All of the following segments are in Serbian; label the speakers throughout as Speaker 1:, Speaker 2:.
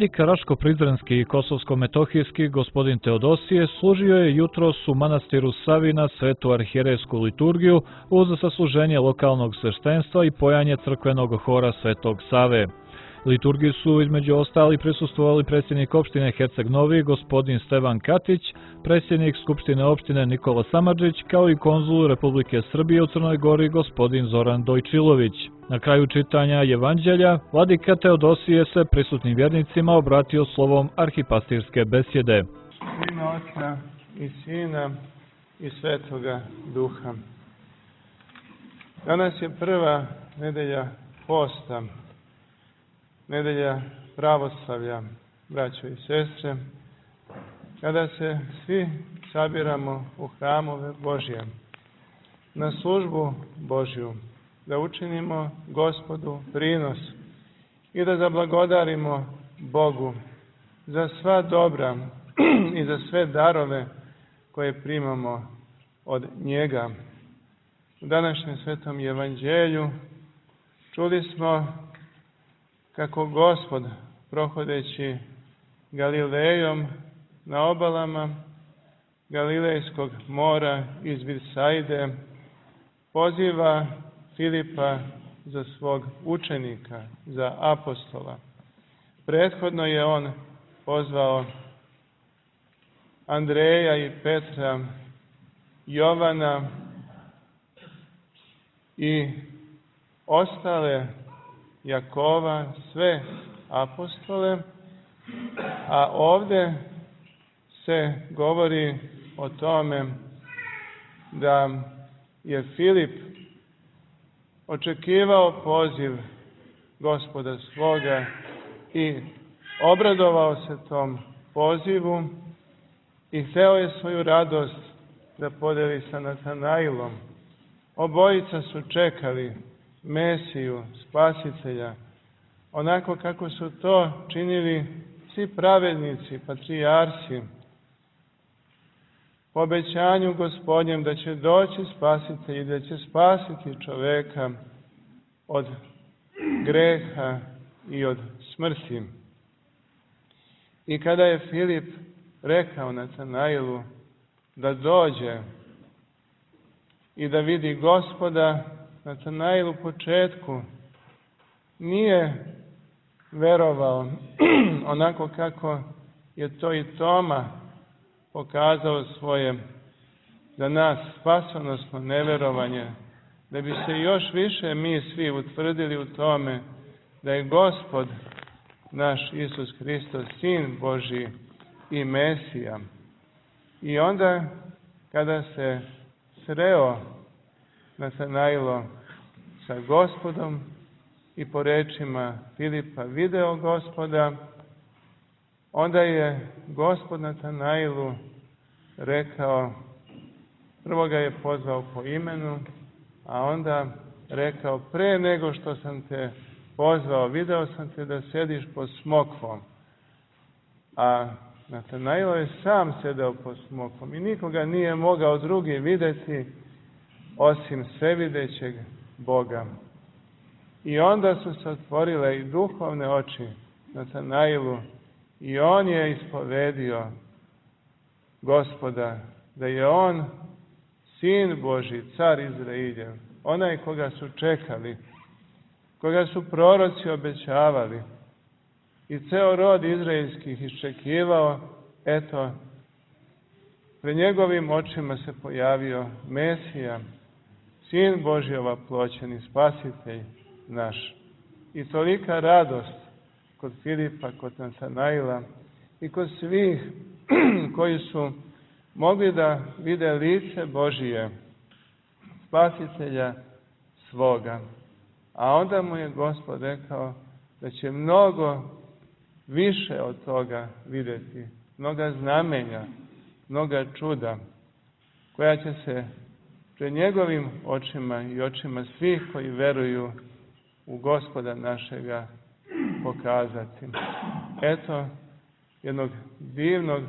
Speaker 1: Vladika Raško-Prizrenski i Kosovsko-Metohijski gospodin Teodosije služio je jutros u manastiru Savina svetu arhijerejsku liturgiju uz sasluženje lokalnog sveštenstva i pojanje crkvenog hora Svetog Save. Liturgiji su između ostali prisustvovali predsjednik opštine Herceg Novi gospodin Stevan Katić, predsjednik Skupštine opštine Nikola Samardžić, kao i konzul Republike Srbije u Crnoj Gori gospodin Zoran Dojčilović. Na kraju čitanja Evanđelja, Vladika Teodosije se prisutnim vjernicima obratio slovom arhipastirske besjede.
Speaker 2: U ime Oca i Sina i Svetoga Duha. Danas je prva nedelja posta, nedelja pravoslavlja, braćo i sestre, kada se svi sabiramo u hramove Božje, na službu Božju, da učinimo Gospodu prinos i da zablagodarimo Bogu za sva dobra i za sve darove koje primamo od njega. U današnjem svetom evanđelju čuli smo kako Gospod, prohodeći Galilejom na obalama Galilejskog mora iz Visaide, poziva Filipa za svog učenika, za apostola. Prethodno je on pozvao Andreja i Petra, Jovana i ostale, Jakova, sve apostole, a ovdje se govori o tome da je Filip očekivao poziv Gospoda svoga i obradovao se tom pozivu i hteo je svoju radost da podeli sa Natanailom. Obojica su čekali Mesiju, Spasitelja, onako kako su to činili svi pravednici, patrijarsi, po obećanju Gospodnjem da će doći Spasitelj i da će spasiti čoveka od greha i od smrti. I kada je Filip rekao Natanailu da dođe i da vidi Gospoda, Natanail u početku nije verovao onako kako je to i Toma pokazao svoje za nas spasonosno neverovanje, da bi se još više mi svi utvrdili u tome da je Gospod naš Isus Hristos, Sin Božji i Mesija. I onda kada se sreo Natanailo sa Gospodom i po rečima Filipa video Gospoda, onda je Gospod Natanailu rekao, prvo ga je pozvao po imenu, a onda rekao, pre nego što sam te pozvao, video sam te da sediš pod smokvom. A Natanailo je sam sedeo pod smokvom i nikoga nije mogao drugi vidjeti osim svevidećeg Boga. I onda su se otvorile i duhovne oči Natanailu i on je ispovedio Gospoda, da je on Sin Božji, car Izrailjev, onaj koga su čekali, koga su proroci obećavali i ceo rod izraelskih iščekivao. Eto, pred njegovim očima se pojavio Mesija, Sin Božji ovaploćeni, Spasitelj naš. I tolika radost kod Filipa, kod Natanaila i kod svih koji su mogli da vide lice Božije, Spasitelja svoga. A onda mu je Gospod rekao da će mnogo više od toga vidjeti, mnoga znamenja, mnoga čuda, koja će se pred njegovim očima i očima svih koji veruju u Gospoda našega pokazati. Eto jednog divnog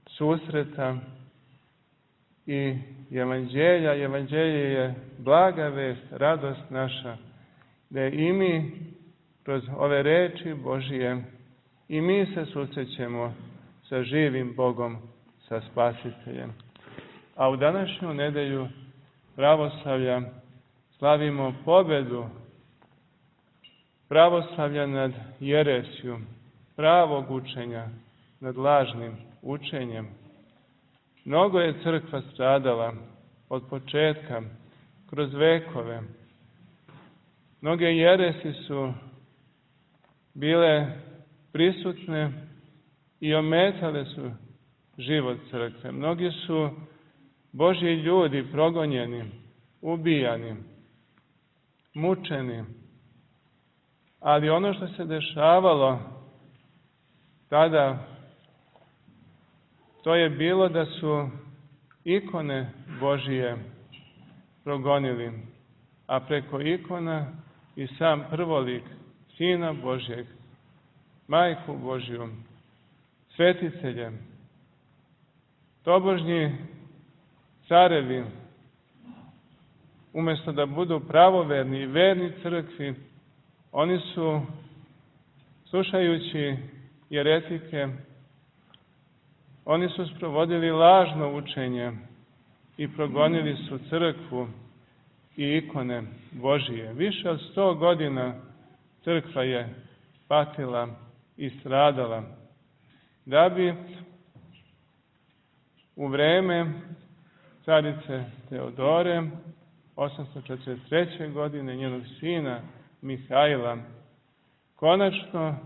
Speaker 2: susreta i evanđelja. Evanđelje je blaga vest, radost naša, da i mi kroz ove reči Božije i mi se susrećemo sa živim Bogom, sa Spasiteljem. A u današnju nedelju pravoslavlja slavimo pobedu pravoslavlja nad jeresijom, pravog učenja nad lažnim učenjem. Mnogo je crkva stradala od početka, kroz vekove. Mnoge jeresi su bile prisutne i ometale su život crkve. Mnogi su Božji ljudi progonjeni, ubijani, mučeni. Ali ono što se dešavalo tada, to je bilo da su ikone Božije progonili, a preko ikona i sam prvolik Sina Božjeg, Majku Božju, Svetitelje, tobožnji carevi, umjesto da budu pravoverni i verni crkvi, oni su, slušajući jeretike, oni su sprovodili lažno učenje i progonili su crkvu i ikone Božije. Više od 100 godina crkva je patila i stradala, da bi u vreme carice Teodore, 843. godine, njenog sina Mihajla, konačno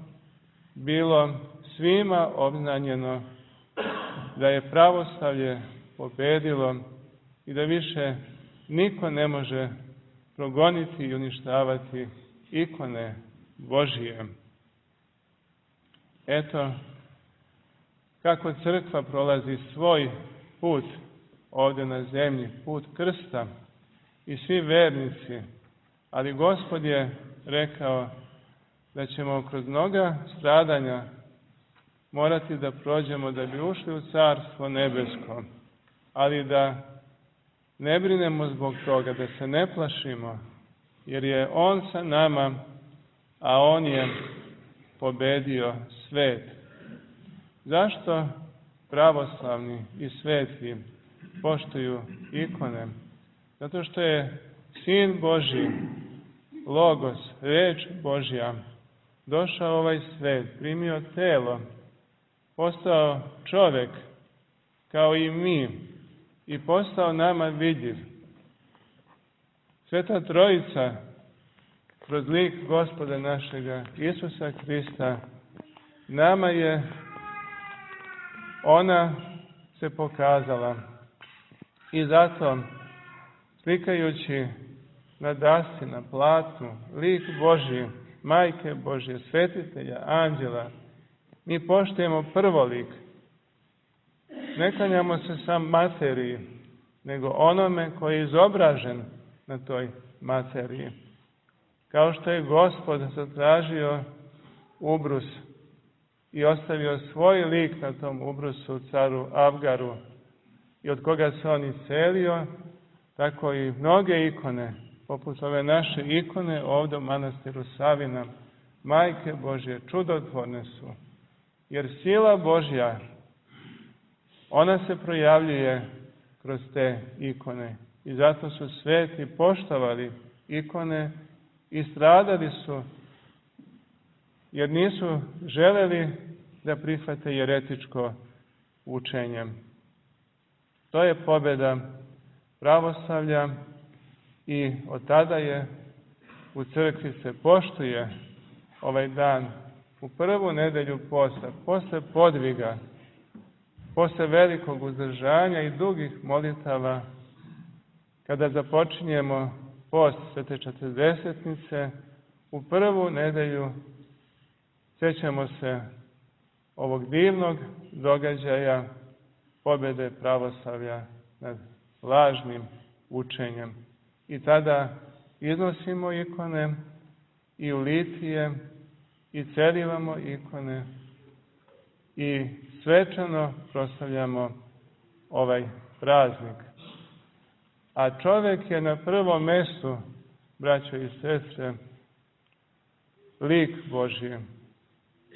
Speaker 2: bilo svima obznanjeno da je pravoslavlje pobedilo i da više niko ne može progoniti i uništavati ikone Božije. Eto kako crkva prolazi svoj put ovdje na zemlji, put krsta, i svi vernici, ali Gospod je rekao da ćemo kroz mnoga stradanja morati da prođemo da bi ušli u Carstvo nebesko, ali da ne brinemo zbog toga, da se ne plašimo, jer je On sa nama, a On je pobedio svet. Zašto pravoslavni i sveti poštuju ikone? Zato što je Sin Božji, Logos, reč Božja, došao u ovaj svet, primio telo, postao čovjek kao i mi i postao nama vidljiv. Sveta Trojica, kroz lik Gospoda našega Isusa Krista, nama je ona se pokazala. I zato, slikajući na dasci, na platnu, lik Božji, Majke Božje, Svetitelja, anđela, mi poštujemo prvolik. Ne klanjamo se sam materiji, nego onome koji je izobražen na toj materiji. Kao što je Gospod zatražio ubrus i ostavio svoj lik na tom ubrusu caru Abgaru i od koga se on iscelio, tako i mnoge ikone, poput ove naše ikone ovdje u manastiru Savina, Majke Božje, čudotvorne su. Jer sila Božja, ona se projavljuje kroz te ikone. I zato su sveti poštovali ikone i stradali su, jer nisu želeli da prihvate jeretičko učenje. To je pobjeda pravoslavlja i od tada je u crkvi se poštuje ovaj dan u prvu nedelju posta, posle podviga, posle velikog uzdržanja i dugih molitava, kada započinjemo post Svete Četrdesetnice, u prvu nedelju sjećamo se ovog divnog događaja pobjede pravoslavlja nad lažnim učenjem. I tada iznosimo ikone i u litije i celivamo ikone i svečano proslavljamo ovaj praznik. A čovjek je na prvom mjestu, braćo i sestre, lik Božji.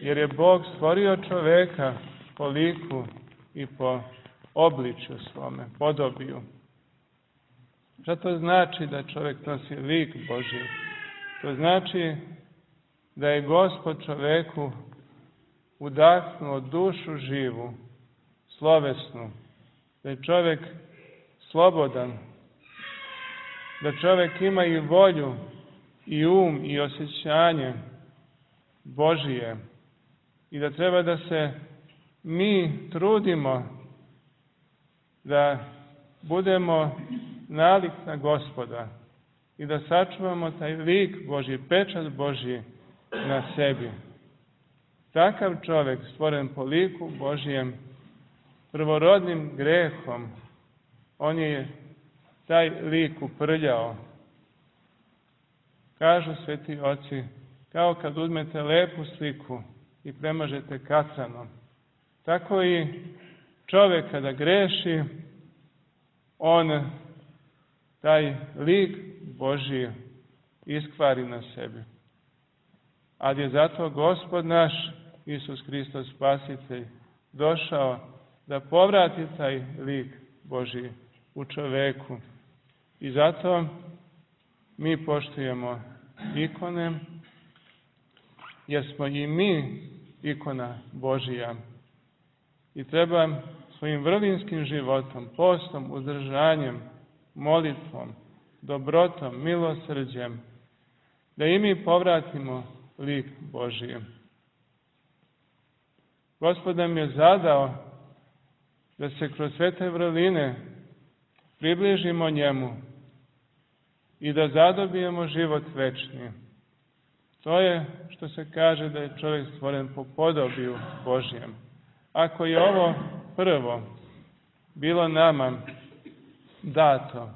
Speaker 2: jer je Bog stvorio čoveka po liku i po obličju svome, podobiju. Šta to znači da čovjek nosi lik Božji? To znači da je Gospod čoveku udahnuo dušu živu, slovesnu, da je čovjek slobodan, da čovjek ima i volju, i i osjećanje Božije i da treba da se mi trudimo da budemo nalik na Gospoda i da sačuvamo taj lik Božji, pečat Božji na sebi. Takav čovjek stvoren po liku Božjem, prvorodnim grehom, on je taj lik uprljao. Kažu sveti oci, kao kad uzmete lepu sliku i premažete katranom, tako i čovjek kada greši, on taj lik Božji iskvari na sebi. Ali je zato Gospod naš, Isus Hristos Spasitelj, došao da povrati taj lik Božji u čoveku. I zato mi poštujemo ikone, jer smo i mi ikona Božija. I treba svojim vrlinskim životom, postom, uzdržanjem, molitvom, dobrotom, milosrđem, da i mi povratimo lik Božiji. Gospod nam je zadao da se kroz svete vrline približimo njemu i da zadobijemo život večni. To je što se kaže da je čovjek stvoren po podobiju Božjem. Ako je ovo prvo bilo nama dato,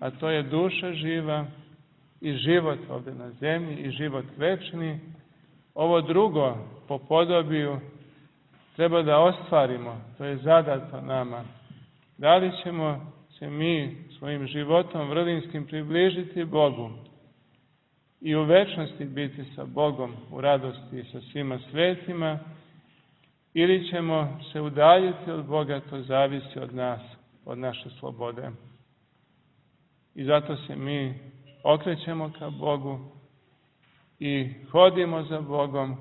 Speaker 2: a to je duša živa i život ovdje na zemlji i život večni, ovo drugo po podobiju treba da ostvarimo, to je zadato nama. Da li ćemo se mi svojim životom vrlinskim približiti Bogu i u večnosti biti sa Bogom u radosti sa svima svetima, ili ćemo se udaljiti od Boga, to zavisi od nas, od naše slobode. I zato se mi okrećemo ka Bogu i hodimo za Bogom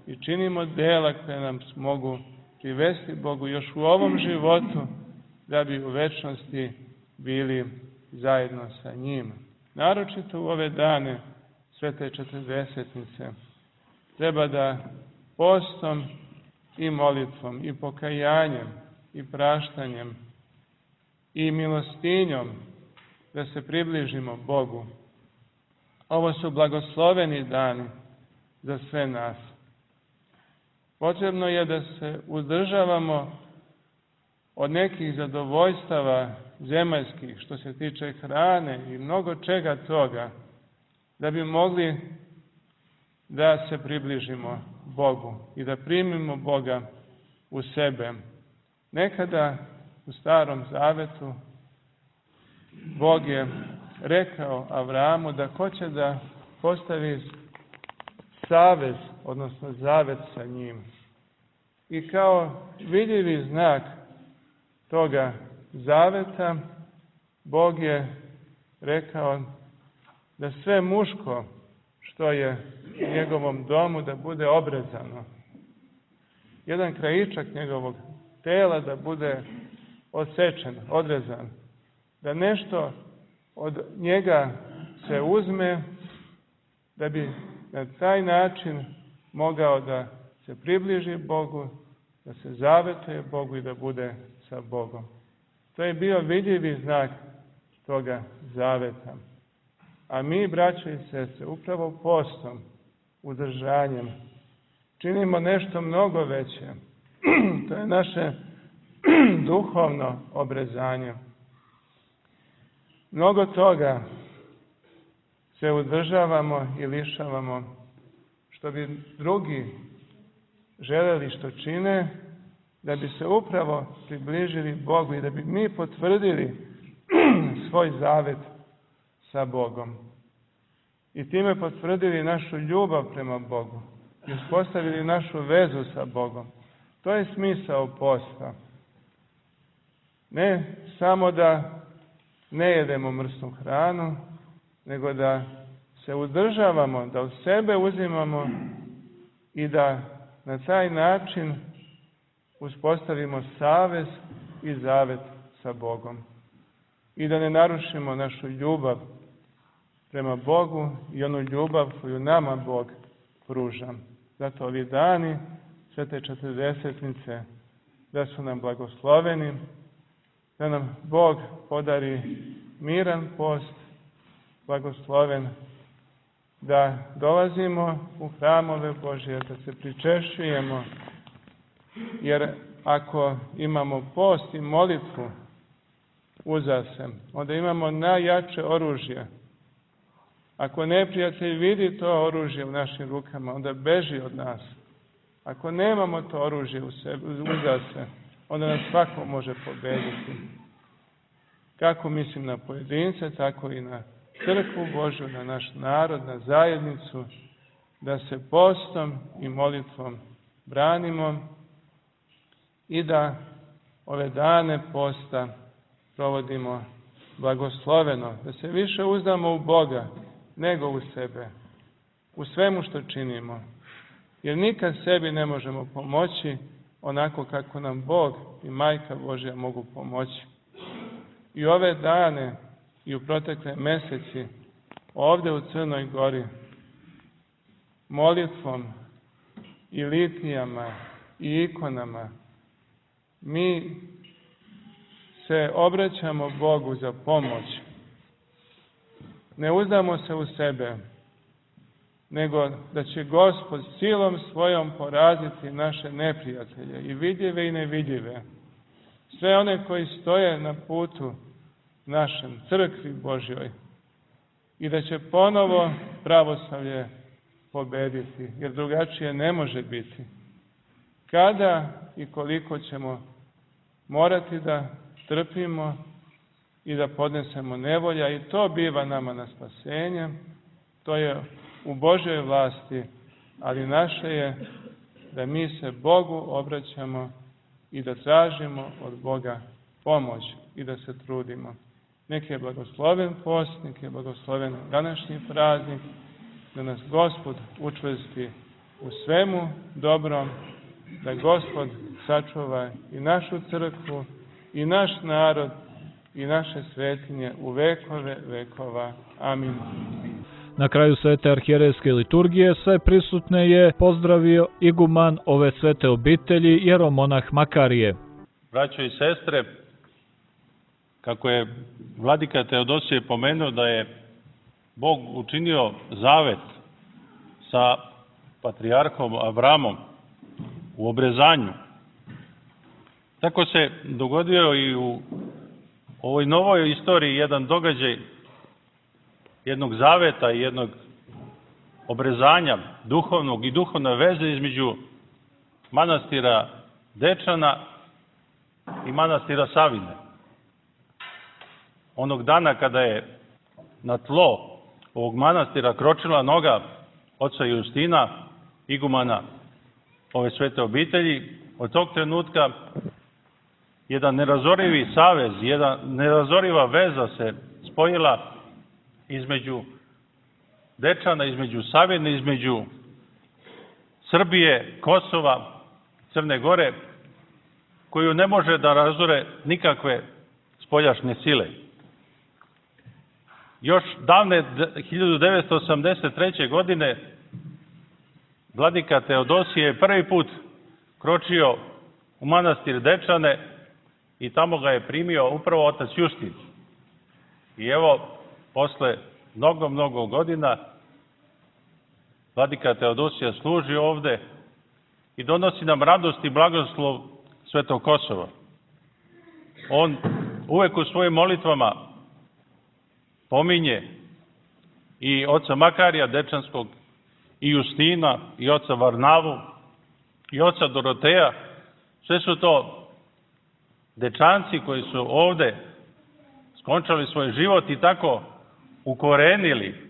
Speaker 2: i činimo dela koje nam mogu privesti Bogu još u ovom životu, da bi u večnosti bili zajedno sa njim. Naročito u ove dane Svete Četrdesetnice treba da postom i molitvom i pokajanjem i praštanjem i milostinjom da se približimo Bogu. Ovo su blagosloveni dani za sve nas. Potrebno je da se uzdržavamo od nekih zadovoljstava zemaljskih, što se tiče hrane i mnogo čega toga, da bi mogli da se približimo Bogu i da primimo Boga u sebe. Nekada u Starom Zavetu Bog je rekao Avramu da hoće da postavi savez, odnosno zavet sa njim. I kao vidljivi znak toga zaveta, Bog je rekao da sve muško što je u njegovom domu da bude obrezano. Jedan krajičak njegovog tela da bude odsečen, odrezan. Da nešto od njega se uzme, da bi na taj način mogao da se približi Bogu, da se zavetuje Bogu i da bude sa Bogom. To je bio vidljivi znak toga zaveta. A mi, braćo i sestre, upravo postom, uzdržanjem, činimo nešto mnogo veće. To je naše duhovno obrezanje. Mnogo toga se uzdržavamo i lišavamo, što bi drugi želeli što čine, da bi se upravo približili Bogu i da bi mi potvrdili svoj zavet sa Bogom. I time potvrdili našu ljubav prema Bogu. i uspostavili našu vezu sa Bogom. To je smisao posta. Ne samo da ne jedemo mrsnu hranu, nego da se uzdržavamo, da od sebe uzimamo i da na taj način uspostavimo savez i zavet sa Bogom. I da ne narušimo našu ljubav prema Bogu i onu ljubav koju nama Bog pruža. Zato ovi dani Svete Četrdesetnice da su nam blagosloveni, da nam Bog podari miran post, blagosloven, da dolazimo u hramove Božje, da se pričešćujemo, jer ako imamo post i molitvu uza se, onda imamo najjače oružje. Ako neprijatelj vidi to oružje u našim rukama, onda beži od nas. Ako nemamo to oružje uza se, onda nas svako može pobediti. Kako mislim na pojedince, tako i na crkvu Božju, na naš narod, na zajednicu, da se postom i molitvom branimo i da ove dane posta provodimo blagosloveno, da se više uzdamo u Boga nego u sebe, u svemu što činimo. Jer nikad sebi ne možemo pomoći onako kako nam Bog i Majka Božja mogu pomoći. I ove dane i u protekle meseci ovde u Crnoj Gori molitvom i litijama i ikonama mi se obraćamo Bogu za pomoć. Ne uzdamo se u sebe, nego da će Gospod silom svojom poraziti naše neprijatelje, i vidljive i nevidljive. Sve one koji stoje na putu našem, crkvi Božjoj, i da će ponovo pravoslavlje pobediti, jer drugačije ne može biti. Kada i koliko ćemo morati da trpimo i da podnesemo nevolja, i to biva nama na spasenje, to je u Božjoj vlasti, ali naše je da mi se Bogu obraćamo i da tražimo od Boga pomoć i da se trudimo. Nek je blagosloven post, nek je blagosloven današnji praznik, da nas Gospod učvrsti u svemu dobrom, da Gospod sačuva i našu crkvu, i naš narod, i naše svetinje u vekove vekova. Amin.
Speaker 1: Na kraju svete arhijerejske liturgije sve prisutne je pozdravio iguman ove svete obitelji, jeromonah Makarije.
Speaker 3: Braćo i sestre, kako je vladika Teodosije pomenuo da je Bog učinio zavet sa patrijarhom Avramom u obrezanju, tako se dogodio i u ovoj novoj istoriji jedan događaj jednog zaveta i jednog obrezanja duhovnog i duhovne veze između manastira Dečana i manastira Savine. Onog dana kada je na tlo ovog manastira kročila noga oca Justina, igumana ove svete obitelji, od tog trenutka jedan nerazorivi savez, jedna nerazoriva veza se spojila između Dečana, između Savine, između Srbije, Kosova, Crne Gore, koju ne može da razore nikakve spoljašnje sile. Još davne 1983. godine vladika Teodosije je prvi put kročio u manastir Dečane i tamo ga je primio upravo otac Justin. I evo, posle mnogo godina vladika Teodosija služi ovde i donosi nam radost i blagoslov Svetog Kosova. On uvek u svojim molitvama pominje i oca Makarija Dečanskog, i Justina, i oca Varnavu, i oca Doroteja. Sve su to dečanci koji su ovde skončali svoj život i tako ukorenili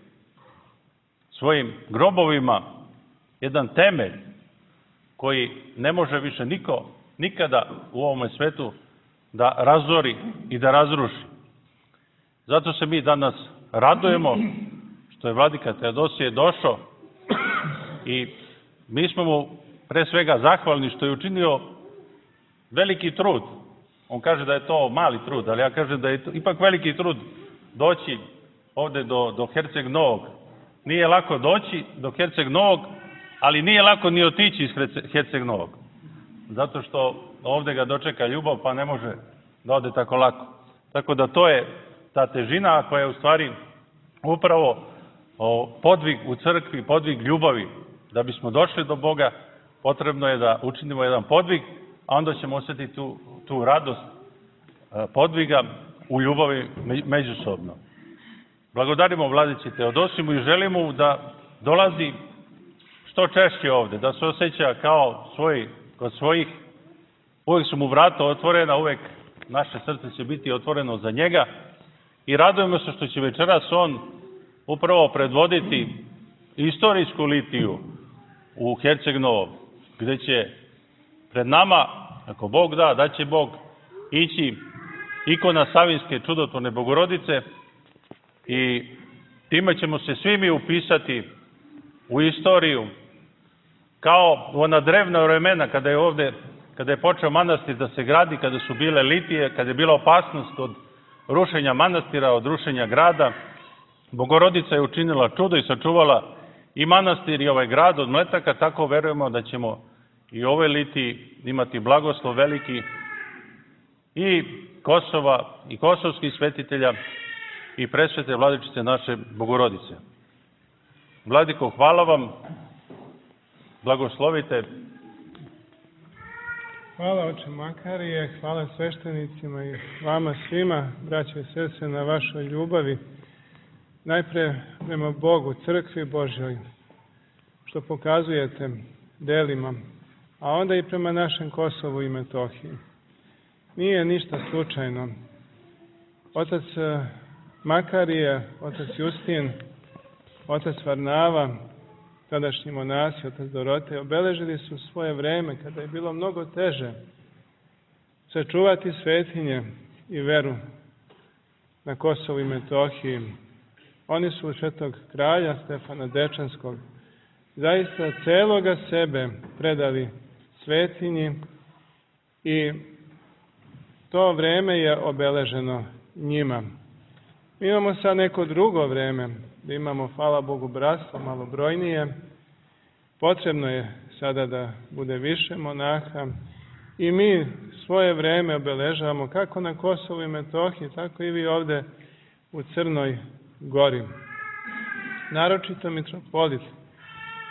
Speaker 3: svojim grobovima jedan temelj koji ne može više niko nikada u ovome svetu da razori i da razruši. Zato se mi danas radujemo što je vladika Teodosije došao i mi smo mu pre svega zahvalni što je učinio veliki trud. On kaže da je to mali trud, ali ja kažem da je ipak veliki trud doći ovde do Herceg Novog. Nije lako doći do Herceg Novog, ali nije lako ni otići iz Herceg Novog. Zato što ovde ga dočeka ljubav, pa ne može da ode tako lako. Tako da to je ta težina koja je u stvari upravo podvig u crkvi, podvig ljubavi. Da bismo došli do Boga, potrebno je da učinimo jedan podvig, a onda ćemo osjetiti tu radost podviga u ljubavi međusobno. Blagodarimo vladici Teodosimu i želimo da dolazi što češće ovde, da se osjeća kao kod svojih. Uvek su mu vrata otvorena, uvek naše srce će biti otvoreno za njega i radujemo se što će večeras on upravo predvoditi istorijsku litiju u Herceg Novom, gde će pred nama, ako Bog da će Bog, ići ikona Savinjske čudotvorne Bogorodice i time ćemo se svi mi upisati u istoriju kao u ona drevna vremena kada je počeo manastir da se gradi, kada su bile litije, kada je bila opasnost od rušenja manastira, od rušenja grada. Bogorodica je učinila čudo i sačuvala i manastir i ovaj grad od mletaka, tako verujemo da ćemo i u ovoj litiji imati blagoslov veliki i Kosova i kosovskih svetitelja i presvete vladičice naše Bogorodice. Vladiko, hvala vam, blagoslovite.
Speaker 2: Hvala oče Makarije, hvala sveštenicima i vama svima, braće i sestre, na vašoj ljubavi. Najpre prema Bogu, crkvi Božjoj, što pokazujete delima, a onda i prema našem Kosovu i Metohiji. Nije ništa slučajno. Otac Makarije, otac Justin, otac Varnava, tadašnji monasi, otac Dorotej, obeležili su svoje vreme kada je bilo mnogo teže sačuvati svetinje i veru na Kosovu i Metohiji. Oni su u Svetog kralja Stefana Dečanskog zaista celoga sebe predali svetinji i to vreme je obeleženo njima. Mi imamo sad neko drugo vreme, da imamo, hvala Bogu, bratstvo malo brojnije. Potrebno je sada da bude više monaha i mi svoje vreme obeležavamo kako na Kosovu i Metohiji, tako i vi ovde u Crnoj Gori. Naročito mitropolit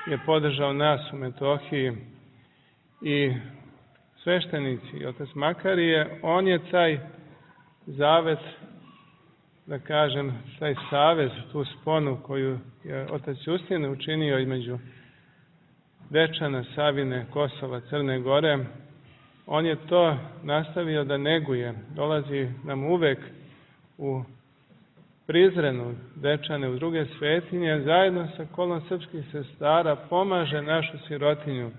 Speaker 2: je podržao nas u Metohiji i sveštenici, otac Makarije, on je taj zavet, da kažem, taj savez, tu sponu koju je otac Justin učinio između Dečana, Savine, Kosova, Crne Gore, on je to nastavio da neguje. Dolazi nam uvek u Prizrenu, Dečane, u druge svetinje, zajedno sa kolom srpskih sestara pomaže našu sirotinju,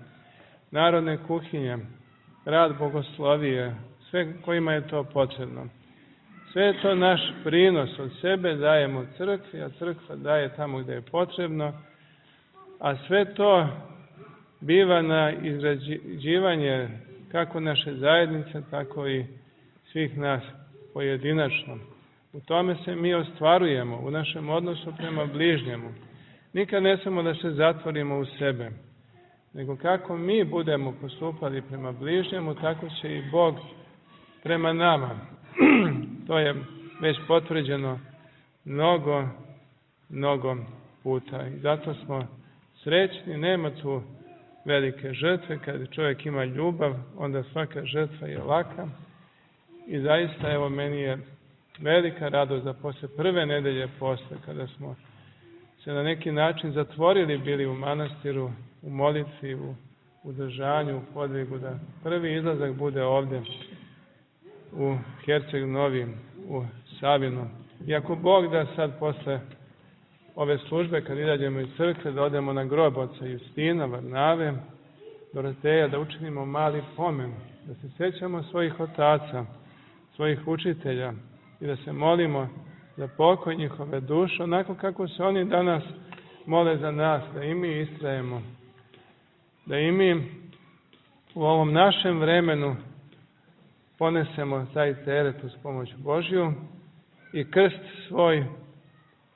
Speaker 2: narodne kuhinje, rad bogoslovije, sve kojima je to potrebno. Sve je to naš prinos, od sebe dajemo crkvi, a crkva daje tamo gde je potrebno, a sve to biva na izrađivanje kako naše zajednice, tako i svih nas pojedinačno. U tome se mi ostvarujemo, u našem odnosu prema bližnjemu. Nikad ne smemo da se zatvorimo u sebe, nego kako mi budemo postupali prema bližnjemu, tako će i Bog prema nama. To je već potvrđeno mnogo puta. I zato smo srećni, nema tu velike žrtve. Kad čovjek ima ljubav, onda svaka žrtva je laka. I zaista, evo, meni je velika radost da posle prve nedelje posta, kada smo se na neki način zatvorili bili u manastiru, u molitvi, u udržanju, u podvigu, da prvi izlazak bude ovde u Herceg Novi, u Savinu. I ako Bog da sad posle ove službe, kad izađemo iz crkve, da odemo na grob oca Justina, Varnave, Doroteja, da učinimo mali pomen, da se sjećamo svojih otaca, svojih učitelja i da se molimo za pokoj njihove duše, onako kako se oni danas mole za nas, da i mi istrajemo, da i mi u ovom našem vremenu ponesemo taj teret uz pomoć Božju i krst svoj,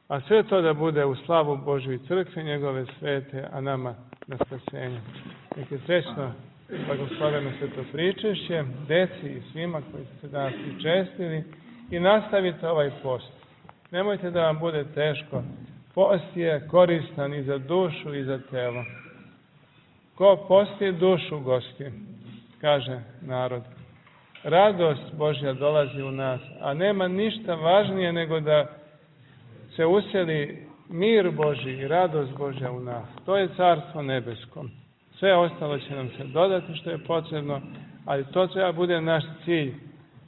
Speaker 2: a sve to da bude u slavu Božju i crkve njegove svete, a nama na spasenje. Nek je srećno blagosloveno sveto pričešće, deci i svima koji ste danas pričestili i nastavite ovaj post. Nemojte da vam bude teško. Post je koristan i za dušu i za telo. Ko posti, dušu gosti, kaže narod. Radost Božja dolazi u nas, a nema ništa važnije nego da se useli mir Božji i radost Božja u nas. To je Carstvo nebesko. Sve ostalo će nam se dodati što je potrebno, ali to treba bude naš cilj,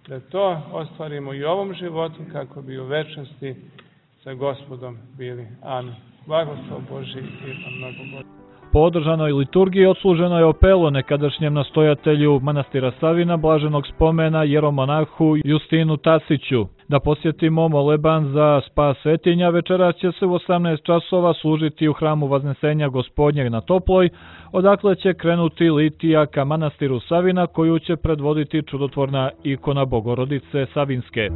Speaker 2: da to ostvarimo i u ovom životu kako bi u večnosti sa Gospodom bili. Amin. Blagoslov Božji i mnogo Božji.
Speaker 1: Po održanoj liturgiji odsluženo je opelo nekadašnjem nastojatelju manastira Savina, blaženog spomena jeromonahu Justinu Tasiću. Da posjetimo moleban za spas svetinja, večeras će se u 18 časova služiti u hramu Vaznesenja Gospodnjeg na Toploj, odakle će krenuti litija ka manastiru Savina, koju će predvoditi čudotvorna ikona Bogorodice Savinske.